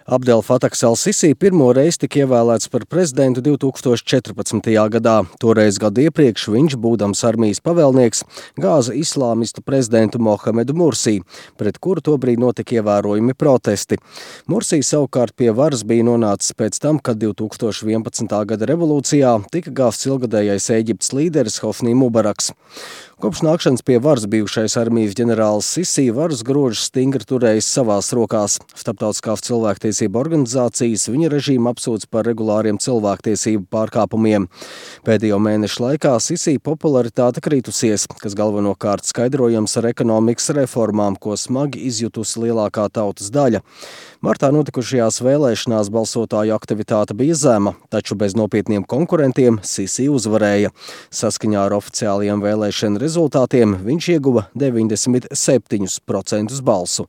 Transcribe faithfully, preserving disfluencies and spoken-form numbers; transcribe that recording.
Abdel Fatahs al-Sisi pirmo reizi tika ievēlēts par prezidentu divi tūkstoši četrpadsmitajā gadā. Toreiz gadu iepriekš viņš, būdams armijas pavēlnieks, gāza islāmistu prezidentu Mohamedu Mursī, pret kuru tobrīd notika ievērojami protesti. Mursī savukārt pie varas bija nonācis pēc tam, kad divi tūkstoši vienpadsmitā gada revolūcijā tika gāzts ilgadējais Ēģiptes līderis Hofnī Mubaraks. Kopš nākšanas pie varas bijušais armijas ģenerālis Sisi varas grožus stingri turējis savās rokās. Starptautiskās cilvēktiesību organizācijas viņa režīmu apsūdz par regulāriem cilvēktiesību pārkāpumiem. Pēdējo mēnešu laikā Sisi popularitāte kritusies, kas galvenokārt skaidrojams ar ekonomikas reformām, ko smagi izjutusi lielākā tautas daļa. Martā notikušajās vēlēšanās balsotāju aktivitāte bija zema, taču bez nopietniem konkurentiem Sisi uzvarēja. Saskaņā ar oficiālajiem vēlēšanu rezultātiem viņš ieguva deviņdesmit septiņus procentus balsu.